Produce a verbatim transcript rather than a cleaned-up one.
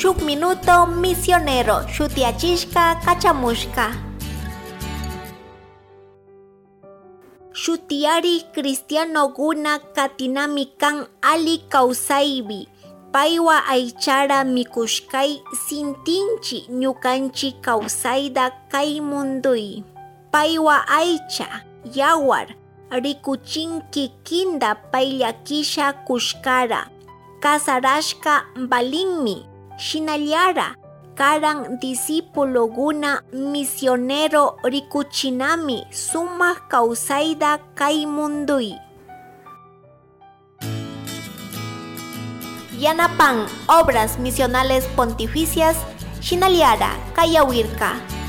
Shuk Minuto Misionero shutiyachishka kachamushka. Shutiyari cristianoguna katinami kan ali kawsaypi paywa aychara mikushkay sintinchi ñukanchik kawsayta kay munduy. Paywa aycha, yawar, rikuchin kikinta payllakisha kushkara, kasarashka valinmi, shinallara karan discipuloguna misionero rikuchinami sumak kawsayta kay munduy. Yanapan Obras Misionales Pontificias, Shinaliara, Kayawirka.